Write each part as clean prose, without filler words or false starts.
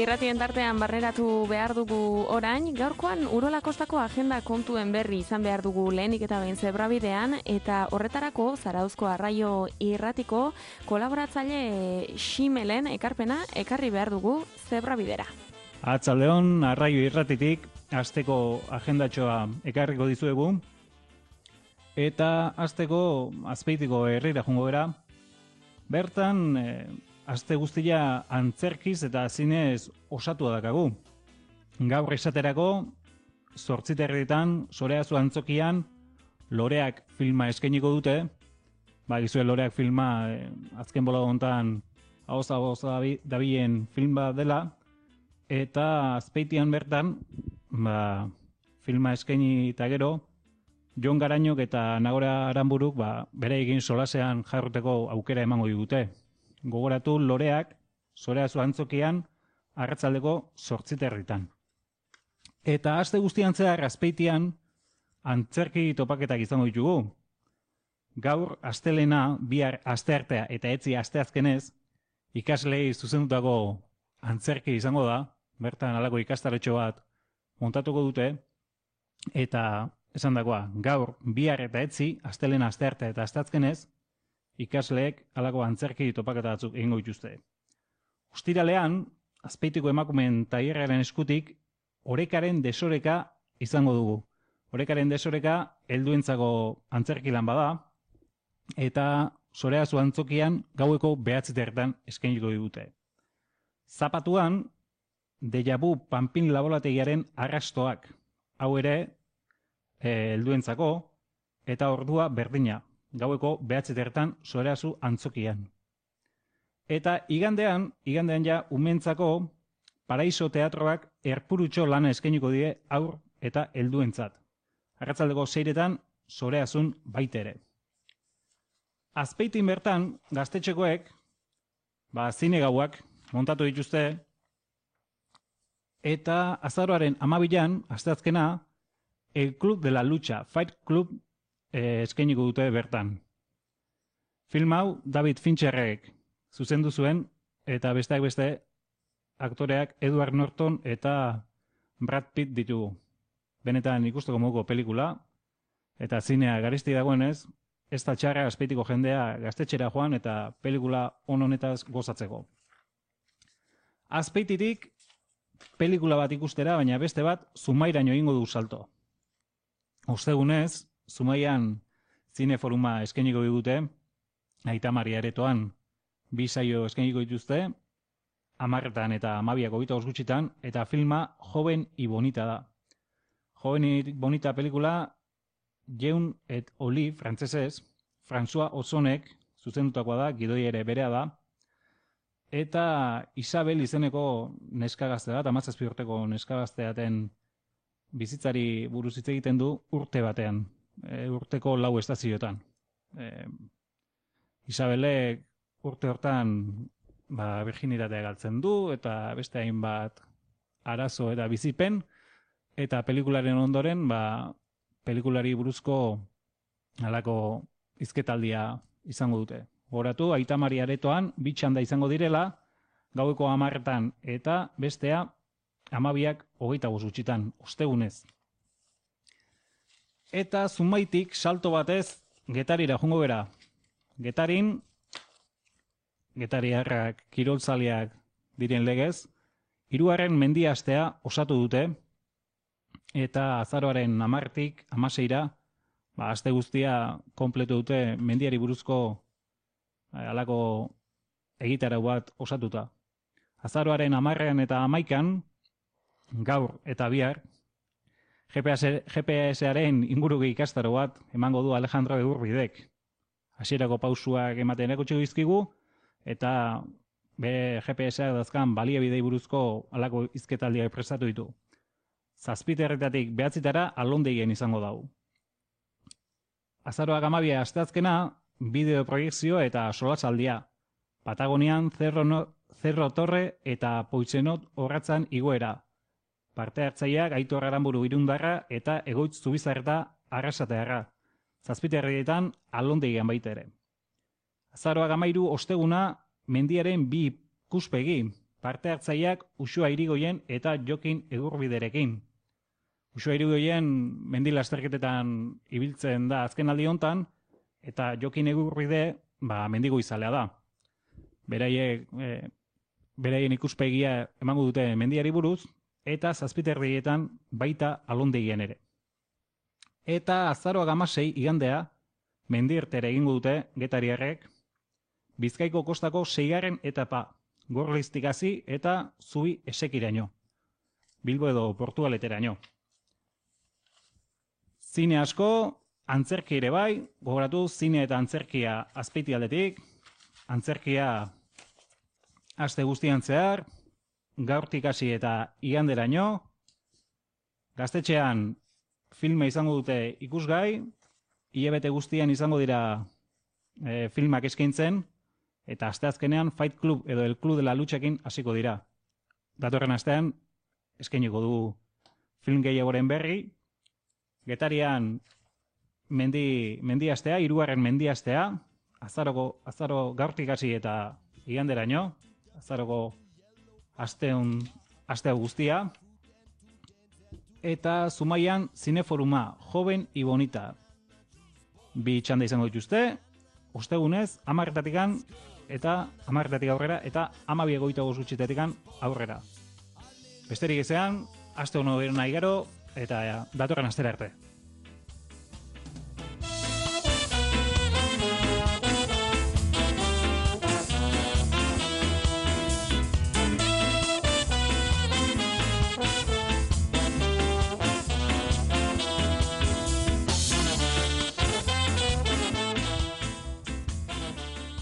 irratien tartean barneratu behar dugu orain, gaurkoan Urola Kostako agenda kontuen berri izan behar dugu lehenik eta behin zebrabidean, eta horretarako Zarauzko Arraio Irratiko kolaboratzaile Ximelen ekarpena ekarri behar dugu zebrabidera. Arratsaldeon, Arraio Irratitik asteko agendatxoa ekarriko dizuegu, eta asteko Azpeitiko herrira joango gara. Bertan, aste guztia antzerkiz eta zinez osatua dakagu. Gaur esaterako, 8:30 Zoreazu antzokian, Loreak filma eskainiko dute. Gizue Loreak filma azken bola hontan ahoza dabilen film bat dela, eta Azpeitian bertan, filma eskaini eta gero, Jon Garañok eta Nagore Aranburuk beraiekin solasean jarruteko aukera emango digute. Gogoratu Loreak Zoreazu antzokian arratsaldeko 8:30. Eta aste guztian zehar Azpeitian antzerki topaketak izango ditugu. Gaur astelena, bihar asteartea eta etzi asteazkenez ikaslei zuzendutako antzerki izango da. Bertan halako ikastaretxo bat montatuko dute, eta esandakoa, gaur bihar eta etzi, astelena, asteartea eta asteazkenez ikasleek halako antzerki topaketa batzuk egingo dituzte. Ostiralean, Azpeitiko emakumeen tailerraren eskutik Orekaren desoreka izango dugu. Orekaren desoreka helduentzako antzerki lan bada, eta Zoreazu antzokian gaueko 9:00 eskainiko digute. Zapatuan, Dejavu Panpin laborategiaren arrastoak, hau ere helduentzako, eta ordua berdina, gaueko 9:00 Zoreazu antzokian. Eta igandean ja umentzako Paraiso teatroak Erpurutxo lana eskainiko die aur eta helduentzat. Arratsaldeko 6:00 Zoreazun baitere. Azpeitin bertan gaztetxekoek zine gauak montatu dituzte, eta azaroaren 12an, asteazkena, El Club de la Lucha, Fight Club eskainiko dute bertan. Film hau David Fincherrek zuzendu zuen, eta besteak beste aktoreak Edward Norton eta Brad Pitt ditugu. Benetan ikusteko moduko pelikula, eta zinea garesti dagoenez, ez da txarra Azpeitiko jendea gaztetxera joan eta pelikula honetaz gozatzeko. Azpeititik pelikula bat ikustera, baina beste bat Zumairaino egingo du salto. Ostegunez, Zumaian zineforuma eskainiko digute, Aita Maria Aretoan 2 saio eskainiko dituzte, 10 eta 12 gutxitan, eta filma Joven y Bonita da. Joven y Bonita pelikula Jeun et Oli frantzesez, François Ozonek zuzendutakoa da, gidoi ere berea da, eta Isabel izeneko neskagazte da, 17 urteko neskagazteaten bizitzari buruz hitz egiten du urte batean, urteko 4 estazioetan. Isabelek urte hortan virginitatea galtzen du, eta beste hainbat arazo eta bizipen, eta pelikularen ondoren, pelikulari buruzko halako hizketaldia izango dute. Goratu, Aita Maria Aretoan 2 txanda izango direla, gaueko 10 eta bestea 12:25 gutxitan, ostegunez. Eta Zumaitik salto batez Getarira joango bera. Getariarrak kiroltzaleak diren legez, 3. mendiastea osatu dute, eta azaroaren 10-tik 16-ra, aste guztia kompletu dute mendiari buruzko halako egitarau bat osatuta. Azaroaren 10 eta 11, gaur eta bihar, GPS-aren ingurugi ikastaro bat emango du Alejandro Egurbidek. Hasierako pausuak ematen erakutsi dizkigu, eta bere GPS-ak dazkan baliabidei buruzko halako hizketaldiak prestatu ditu. 7:00 9:00 Alondeigen izango dau. Azaroak 12 asteazkena, bideoproiekzio eta solasaldia. Patagonian Cerro Torre eta Poitzenot orratzan igoera. Parte hartzaileak Aitor Aranburu Irundarra eta Egoitz Zubizarreta Arrasatearra. 7:00 Alondeigen baita ere. Azaroak 13 osteguna, mendiaren 2 ikuspegi, parte hartzaileak Uxua Irigoien eta Jokin Egurbiderekin. Uxua Irigoien mendi lasterketetan ibiltzen da azken aldi hontan, eta Jokin Egurbide mendigo izalea da. Beraien ikuspegia emango dute mendiari buruz, eta 7:00 baita alondegian ere. Eta azaroak 16 igandea, mendirtera egingo dute getariarrek, Bizkaiko kostako 6. etapa, Gorliztik hasi eta Zubi Esekiraino, Bilbo edo Portugaleteraino. Zine asko, antzerki ere bai, gogoratu zine eta antzerkia Azpeitialdetik, antzerkia aste guztian zehar, gaurtik hasi eta iganderaino, Gaztetxean filma izango dute ikusgai, hilabete guztian izango dira filmak eskaintzen, eta asteazkenean Fight Club edo El Club de la Luchakin hasiko dira. Datorren astean eskainiko du film gehiagoren berri, Getarian mendiastea, 3. mendiastea, azaro gaurtik hasi eta iganderaino, azaroko astea guztia, eta Zumaian Zineforuma, Joven y Bonita. 2 txanda izango dituzte, ostegunez, 10:00 eta 10:00 aurrera, eta 12:25 aurrera. Besterik ezean, aste hono nahi gero, eta datorren astera arte.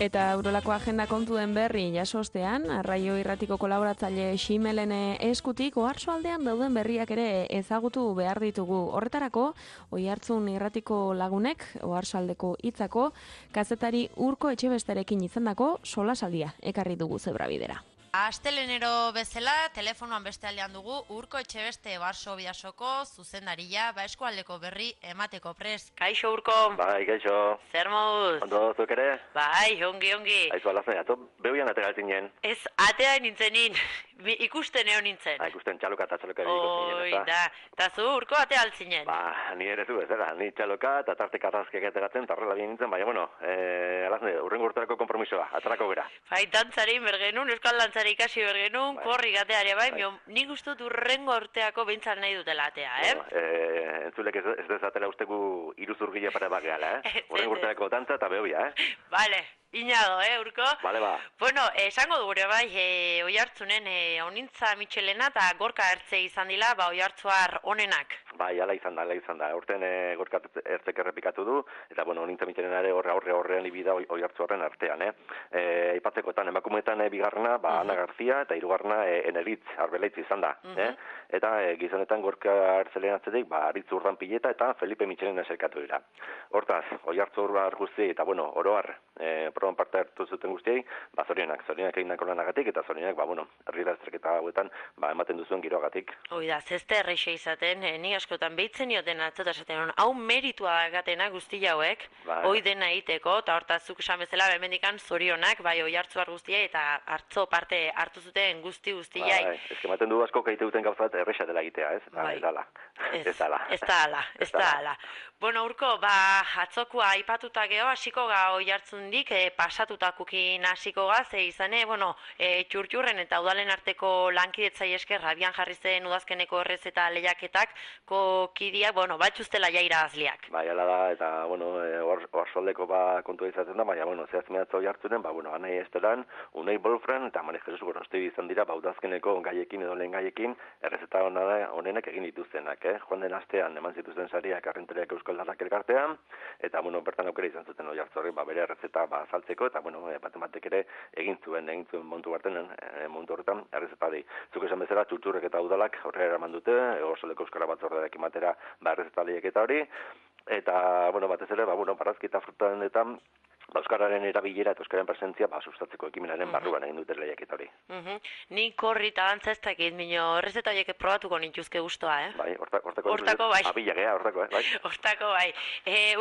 Eta Eurolako agenda kontuen berri jasostean, Arraio Irratiko kolaboratzaile Ximelen eskutik Oarsoaldean dauden berriak ere ezagutu behar ditugu. Horretarako, Oihartzun Irratiko lagunek, Oarsoaldeko hitzako, kazetari Urko Etxebesterekin izandako solasaldia ekarri dugu Zebrabidera. Astelenero bezala, telefonoan beste aldean dugu Urko Etxebeste Varsoviasoko zuzendaria, eskualdeko berri emateko prest. Kaixo Urko. Bai, kaixo. Zer moduz? Ondo zuk ere? Bai, ongi. Aizu alazten, ato behuian ategaltzinen. Ez, atea nintzenin, ikusten egon nintzen. Ikusten txaloka eta txaloka egiko zinen, eta? Da, eta zu Urko atea altzinen. Ni ere zu, ez da, ni txaloka eta tarte karrazkeak etegatzen, tarrela bien nintzen, baina, bueno, alazten, urrengo urterako kompromisoa, atarako gara. Bai, dantzari bergenun, euskal dantzari ikasi bergenun, korri gateare bai, nik ustut urrengo urteako behintzat nahi dutela atea, Entzulek ez dezatela ustegu iruzurgile pare bat gehala, urrengo urteako dantza eta behoia, Vale, inago, Urko? Vale, ba. Bueno, esango dugure bai, Oihartzunen honintza Michelena eta Gorka Ertze izan dila, Oihartzuar onenak. Bai, ala izan da. Urten Gorka Ertzek errepikatu du, eta, bueno, honintza Michelena ere horrean ibida Oihartzuarren artean, Aipatzekoetan, emakumeetan bigarrena, Ana Garzia, eta hirugarrena Eneritz Arbelaitz izan da, Eta gizonetan Gorka Ertzelen atzetik, Aritz Urdanpileta eta Felipe Michelena eserkatu dira. Hortaz, Oihartzuar guztiei, eta, bueno, oroar, proban parte hartu zuten guztiei, zorionak egindako lanagatik, eta zorionak, herri lasterketa hauetan, ematen duzuen giroagatik. Hoi da, zeste erreixe izaten, ni askotan behitzen nioten atzota esaten, hau meritua gatena guzti hauek, hoi dena egiteko, eta hortazuk esan bezala, bemendikan zorionak, Oihartzuar guztiei, eta hartzo parte hartu zuten guztiai. Ematen du asko kaite duten gauzat erreixa dela egitea, ez? Ez da ala. Bueno, Urko, atzokua aipatuta geho, hasiko ga Oihartzundik, pasatutakukin hasiko ga, ze izane, txurtxurren eta udalen arteko lankidetzai esker abian jarri zen udazkeneko errez eta lehiaketak kidiak, batxuztela jaira azliak. Bai, ala da, eta, oarsoaldeko kontua izaten da, baina, zehaz mehatza Oihartzunen, anai estelan, Unai Bolfran, eta Mane Jesus Gorosti izan dira, udazkeneko gaiekin edo lehen gaiekin, errezeta honenak egin dituztenak, Joan den astean eman zituzten sariak arrenteriak Euskal Darrak elkartean, eta, bertan aukera izan zuten Oihartzurri, bere errezeta saltzeko, eta, batek ere egin zuen montu horretan, errezeta di. Zuk esan bezala, txurtxurrek eta udalak horrela eraman dute, Oarsoaldeko Euskara Batzordeak ematera errezeta lehiak eta hori, eta, batez ere, barazki eta frutanetan, Euskararen erabilera eta Euskararen presentzia sustatzeko ekimenaren barruan egin dute lehiaketa hori. Ni korri eta dantza ez dakit, mino, errezeta horiek probatuko nintuzke guztua, Bai, hortako bai. Abilagea, hortako, bai. Hortako bai.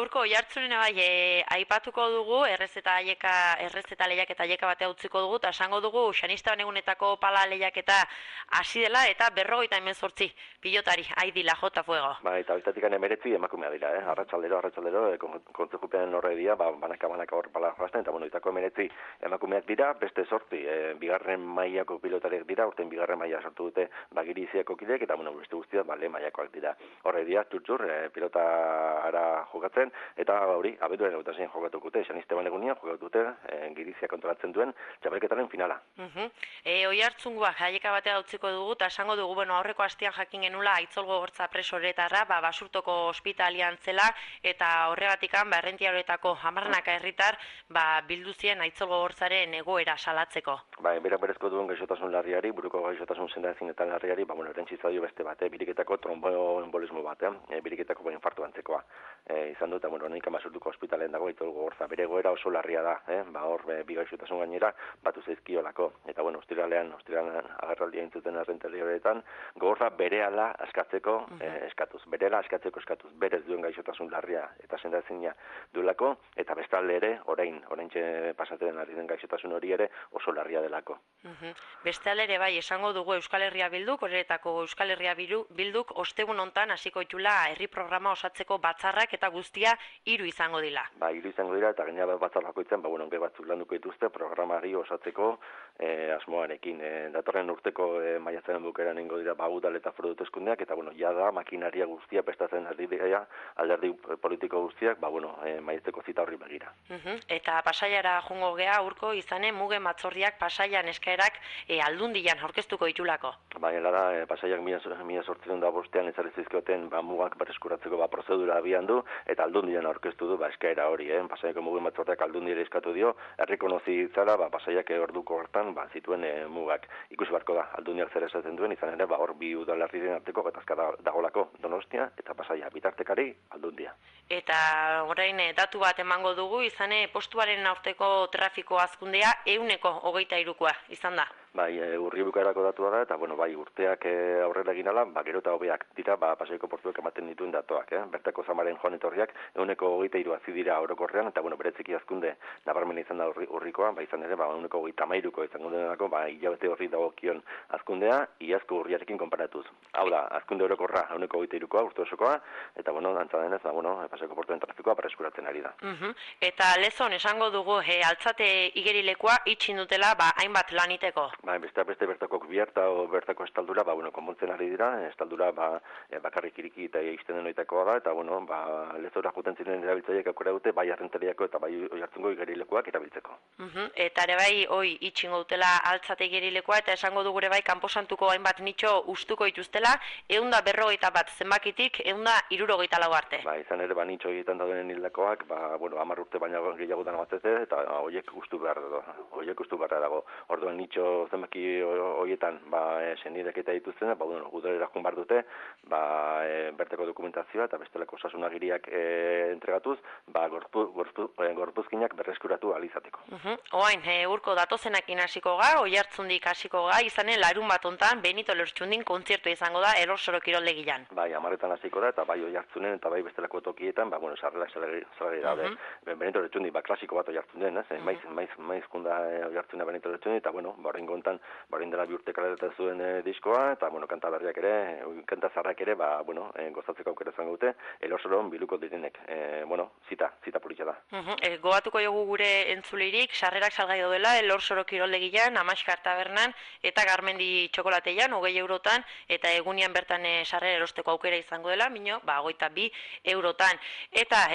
Urko, jartzunena bai, aipatuko dugu, errezeta lehiaketa aieka batea utziko dugu, eta esango dugu, Xanista Banegunetako pala lehiaketa hasi dela, eta 58 pilotari, aidila, jota fuego. Bai, eta biztatik emeretzi emakumea dira, arratsaldero, kontzejupean horre dira, banaka hor pala joazten, eta itako emeretzi emakumeak dira, beste 8 bigarren mailako pilotariak dira, urten bigarren maila sortu dute Giriziako kideek, eta beste guztiak lehen mailakoak dira. Horre dira, txur, pilotara jokatzen, eta hori, abenduaren gautasen jokatuko dute, Xaniste Banegunian jokatu dute, Girizia kontrolatzen duen, txapelketaren finala. Oihartzungoak jaieka batea utziko dugu, eta esango dugu, aurreko astean jakin genula, Aitzol Gogortza presoretarra, Basurtoko ospitalian zela, eta horregatikan, Errentiaroetako 10 herritar, bilduzien Aitzol Gogortzaren egoera salatzeko. Berak berezko duen gaixotasun larriari, buruko gaixotasun sendaezinetan larriari, errentzi zaio beste bat, biriketako tromboembolismo bat, biriketako infartu antzekoa. Izan dut, honeik Basurtuko ospitalen dago Aitzol Gogortza, bere egoera oso larria da, hor bi gaixotasun gainera batu zaizkiolako. Eta ostiralean agerraldia intzuten Errentiaroetan, Gogortza berehala askatzeko eskatuz, berez duen gaixotasun larria eta sendaezina duelako, eta bestalde ere, orain pasatzen ari den gaixotasun hori ere oso larria delako. Bestalde ere bai, esango dugu Euskal Herria Bilduk, horretako Euskal Herria Bilduk ostegun hontan hasiko ditula herri programa osatzeko batzarrak eta guztia 3 izango dira. 3 izango dira, eta gainera batzar bakoitzean, onge batzuk landuko dituzte programari osatzeko asmoarekin. Datorren urteko maiatzaren bukaeran ingo dira udal eta foru hauteskundeak, eta jada makinaria guztia prestatzen ari dira, alderdi politiko guztiak, maiatzeko zita horri begira. Eta Pasaiara joango gea urko izanen mugen batzordiak Pasaian eskaerak Aldundian aurkeztuko ditulako. Da, Pasaiak 1805 ezarri zizkioten mugak berreskuratzeko prozedura abian du, eta Aldundian aurkeztu du eskaera hori. Pasaiako mugen batzordiak Aldundiera eskatu dio, errekonozi zara Pasaiak orduko hortan zituen mugak. Ikusi barko da, Aldundiak zer esaten duen, izan ere hor bi udalerriren arteko gatazka dagolako, Donostia eta Pasaia, bitartekari Aldundia. Eta orain datu bat emango dugu, izane postuaren aurteko trafiko hazkundea 123koa izan da. Urri bukaerako datua da, eta urteak aurrera egin ala, gero eta hobeak dira, Pasaiko portuak ematen dituen datuak. Bertako zamaren joan etorriak 123 hazi dira orokorrean, eta beretziki hazkunde nabarmen izan da urrikoa, izan ere 133ko izango denako, hilabete horri dagokion hazkundea, iazko urriarekin konparatuz. Hau da, hazkunde orokorra 123koa, urte osokoa, eta antza denez, Pasaiko portuen trafikoa berreskuratzen ari da. Eta lezon esango dugu, altzate igerilekoa itxin dutela, hainbat laniteko. Beste bertako kubierta o bertako estaldura, konpontzen ari dira, estaldura bakarrik iriki eta izten denoitakoa da, eta lezora juten ziren erabiltzaileak aukera dute, bai Errentariako eta bai Oiartzungo igerilekoak erabiltzeko. Eta ere bai, itxingo dutela altzate igerilekoa, eta esango dugu ere bai, kanposantuko hainbat nitxo ustuko dituztela, 141 zenbakitik, 164 arte. Izan ere, nitxo egiten dauden hildakoak, 10 urte baina gehiagotan batzete, eta horiek ustu beharra dago. Orduan nitxo zenbaki horietan senidek eta dituzten, udalera joan behar dute, berteko dokumentazioa eta bestelako osasunagiriak entregatuz, gorpuzkinak berreskuratu alizateko. Oain, urko datozenakin hasiko ga, Oiartzundik hasiko ga, izanen larun bat ontan, Benito Lertxundin kontzertu izango da, Elorsoro kiroldegian. 10 hasiko da, eta bai Oiartzunen eta bai bestelako tokietan, sarrera daude. Benito Lertxundi, klasiko bat Oiartzunen, maizkunda Oiartzuna Benito Lertxundi, eta horrengo ontan, dela bi urte kaleratu zuen diskoa, eta kanta berriak ere, kanta zarrak ere, gozatzeko aukera izango dute, Elorsoron biluko direnek. Zita politxa da. Gogatuko jogu gure entzulirik, sarrerak salgai daudela, Elorsoro kiroldegian, Amaskar tabernan, eta Garmendi txokolatean, 20 eurotan, eta egunian bertan sarrera erosteko aukera izango dela, 22 eurotan. Eta,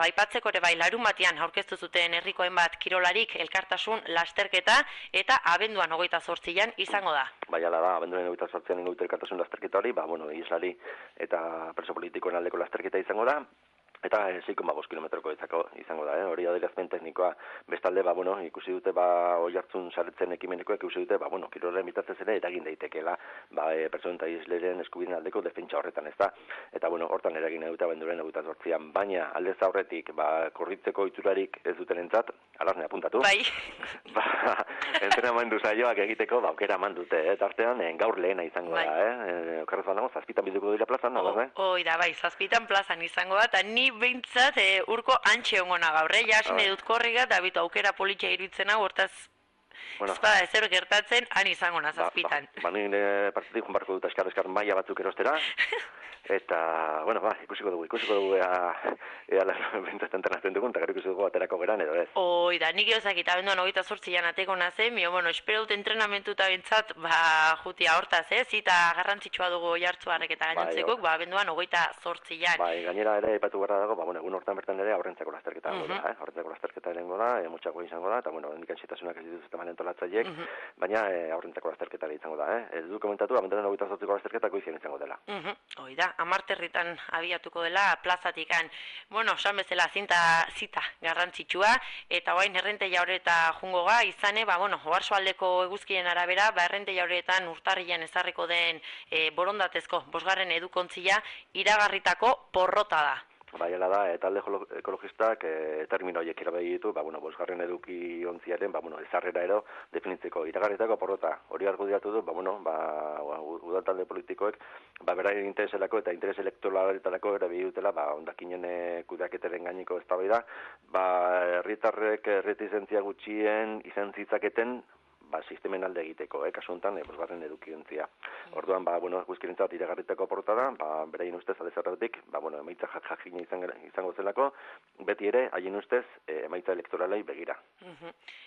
aipatzeko ere bai, larun batean aurkeztu zuten herriko hainbat kirolarik elkartasun lasterketa, eta abenduan 28an izango da. Ala da, abenduan 28an ingo dute elkartasun lasterketa hori, islari eta preso politikoen aldeko lasterketa izango da. Eta 6,5 kilometroko izango da, hori adierazpen teknikoa. Bestalde, ikusi dute, Oiartzun saretzen ekimenikoek ikusi dute, kirolaren bitartez ere eragin daitekeela, pertsonen eta isleren eskubideen aldeko defentsa horretan, ez da. Eta, hortan eragin dute abenduren 28an, baina aldez aurretik, korritzeko iturarik ez duten entzat, alarne apuntatu. Bai. Entrenamendu saioak egiteko, aukera eman dute, tartean, gaur lehena izango da, okerrez banago, 7 bilduko dira plazan, alarne? Da, bai, 7 plazan izango da, eta ni behintzat urko antxe ongona gaur, jasin edut korriga, eta bitu aukera politxa iruditzen hau, hortaz, espada ezer gertatzen, han izango na 7. Nire partidik junbarko dut eskar maia batzuk erostera, eta, ikusiko dugu, ea bentzat entrenazten dugun, eta gero ikusiko dugu aterako geran edo ez. Da, nik eozak eta benduan 28 ateko nazen, espero dut entrenamentu eta bentzat, jutia hortaz, zita garrantzitsua dugu jartzuarek eta gainontzekok, benduan 28an. Gainera ere, ipatu gara dago, egun hortan bertan ere aurrentzako lasterketa dago da, aurrentzako lasterketa erengo da, mutxako izango da, eta, indikan zitasunak ez dituzte manentolatzaiek, baina aurrentzako lasterketa izango da, ez du komentatu, abenduaren 28ko lasterketa goizien izango dela. Da, amarterritan abiatuko dela plazatikan. San bezala zita garrantzitsua, eta bain errente jaureta jungo ga, izane, oarsoaldeko eguzkien arabera, errente jauretan urtarrian ezarriko den borondatezko, 5. edukontzia, iragarritako porrota da. Baiela da, talde ekologistak termino horiek erabili ditu, 5. eduki ontziaren, ezarrera ero definitzeko iragarritako porrota. Hori argudiatu du, udal talde politikoek, beraien intereselako eta interes elektoraletarako erabili dutela, ondakinen kudeaketaren gaineko eztabaida, herritarrek erretizentzia gutxien izan zitzaketen sistemen alde egiteko, kasu honetan, 5. edukiontzia. Orduan, guzkirentzat iragarritako porrota da, beraien ustez, aldezarretik, emaitza jakina izango zelako, beti ere, haien ustez, emaitza elektoralei begira.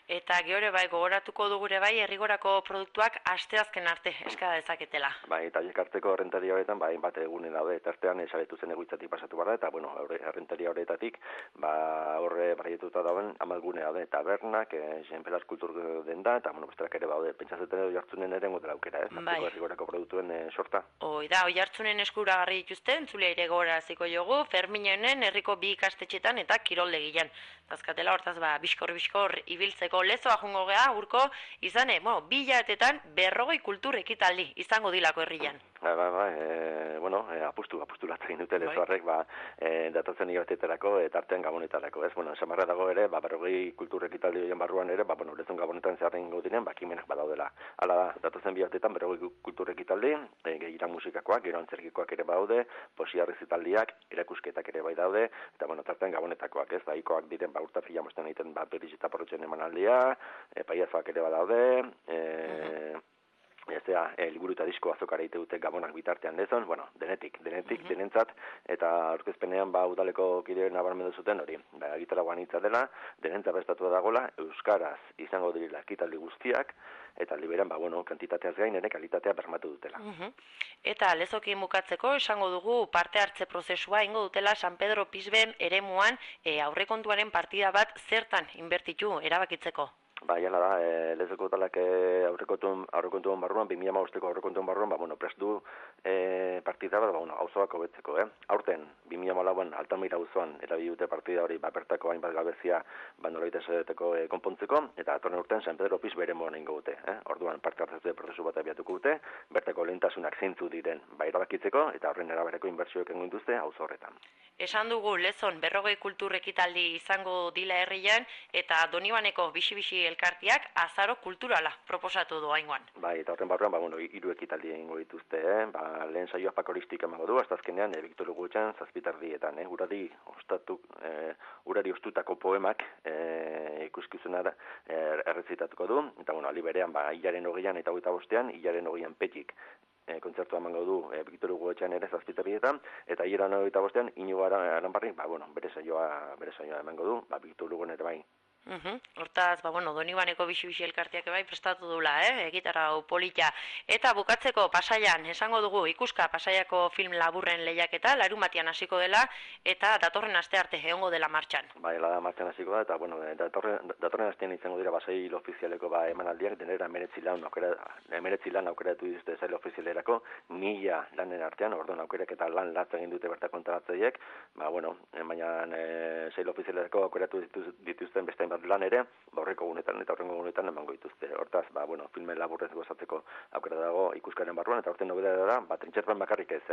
Eta geore gogoratuko dugure herrigorako produktuak asteazken arte eskada dezaketela. Eta hartzeko errentaria horretan, hainbat egunen daude, eta artean esaretu zen egoitzatik pasatu behar da, eta, errentaria horretatik, horre barrietuta dauen, amalgune daude, tabernak, Xenpelar kultur denda, eta, besterak ere baude, pentsatzen edo jartzunen ere ngotela aukera, hartzeko herrigorako produktuen sorta. Da, jartzunen eskuragarri dituzte, entzulea ere gogoraziko jogu, Ferminonen herriko 2 ikastetxetan eta kiroldegian. Tazkatela hortaz, biskor ibiltzeko lezoa jungo geha, urko, izane, 2 hilabetetan 40 kultur ekitaldi izango dilako herrian. Apustu latzen dute lezoarrek, datatzen hilabetetarako eta artean gabonetarako, ez? Esamarra dago ere, 40 kultur ekitaldi horien barruan ere, lezon gabonetan zeharren ingo diren, kimenak badaudela. Hala da, datatzen bilabetetan 40 kultur ekitaldi, gehiara musikakoak, gero antzerkikoak ere baude, poesia rezitaldiak, erakusketak ere bai daude, eta tartean gabonetakoak, ez? Ikoak diren, urta fila mosten egiten, berriz eta porrotzen emanaldia, paiazoak ere badaude, liburu eta disko azokara ite dute gabonak bitartean dezon, denentzat, eta aurkezpenean udaleko kidearen nabarmendu zuten hori, gitarra guanitza dela, denentzat prestatua dagoela, euskaraz izango direla ekitaldi guztiak, eta liberan, kantitateaz gain ere kalitatea bermatu dutela. Eta lezokin bukatzeko, esango dugu parte hartze prozesua ingo dutela San Pedro Pisben eremuan aurrekontuaren partida bat zertan inbertitu erabakitzeko. Jala da, lezoko talak aurrekontuen barruan, 2015ko aurrekontuen barruan, prest du partida bat, auzoak hobetzeko. Aurten, 2014an Altamira auzoan erabili dute partida hori, bertako hainbat gabezia nolabait esateteko konpontzeko, eta atorren urtean San Pedro Pis beremuan egingo dute. Orduan, parte hartzeko prozesu bat abiatuko dute, bertako lehentasunak zeintzu diren erabakitzeko, eta horren erabereko inbertsioek egingo dituzte auzo horretan. Esan dugu lezon 40 kultur ekitaldi izango dila herrian, eta Donibaneko bixi-bixi elkartiak azaro kulturala proposatu du haingoan. Eta horren barruan, 3 ekitaldi egingo dituzte, lehen saioa pakoristik emago du, hasta azkenean, Victor Hugo etxan, 7:30, urari ostutako poemak ikuskizuna errezitatuko du, eta aldi berean, hilaren 20an eta 25an, hilaren 20an petik kontzertua emango du Victor Hugo etxean ere 7:30, eta hilaren 25an, Inigo Aranbarrik, bere saioa emango du, Victor Hugo ere bai Hortaz, Donibaneko bixi-bixi elkartiak bai prestatu dula, egitarau polita. Eta bukatzeko Pasaian, esango dugu, ikuska Pasaiako film laburren lehiaketa, larunbatian hasiko dela, eta datorren aste arte egongo dela martxan. Bai, martxan hasiko da, eta datorren astean izango dira sail ofizialeko emanaldiak, denera 19 lan aukeratu dituzte sail ofizialerako, 1000 lanen artean, orduan aukerak eta lan latz egin dute bertako antolatzaileek, baina sail ofizialerako aukeratu dituzten beste lan ere, horreko gunetan eta horrengo gunetan emango dituzte. Hortaz, filme laburrez gozatzeko aukera dago ikuskaren barruan, eta horten nobedea da, Trintxerpan bakarrik ez,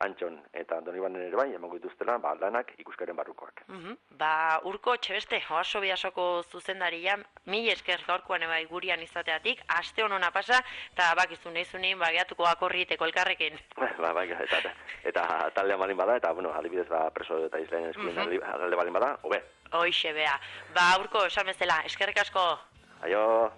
Antxon eta Donibanen ere bai, emango dituztela, lanak ikuskaren barrukoak. Urko Txebeste, oaso biasoko zuzendaria, mil esker gaurkoan ebai gurian izateatik, aste honona pasa, eta bakizun eizunin, gehiatuko akorriteko elkarrekin. Eta taldea balin bada, eta, adibidez, preso eta izlaien eskuen alde balin bada, hobe. Hoixe, bea. Urko, esan bezala, eskerrik asko. Aio.